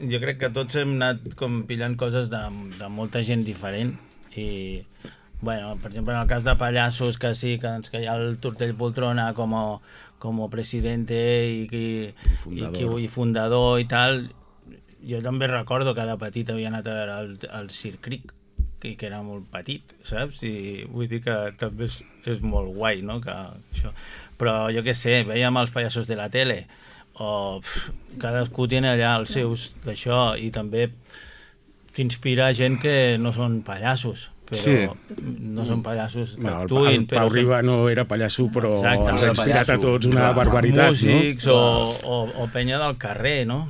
Jo crec que tots hem anat com pillant coses de molta gent diferent i, bueno, per exemple, en el cas de Pallassos, que sí, que hi ha el Tortell Poltrona com a presidente i fundador i tal, jo també recordo que de petit havia anat a veure el Sir Cric, que era molt petit, saps? I vull dir que també és molt guai, no? Que això. Però jo què sé, veiem els pallassos de la tele, o cadascú té allà els seus d'això, i també t'inspira gent que no són pallassos, però no són pallassos que actuïn. El Pau Riba no era pallasso, però ens ha inspirat a tots una barbaritat. Músics o penya del carrer, no?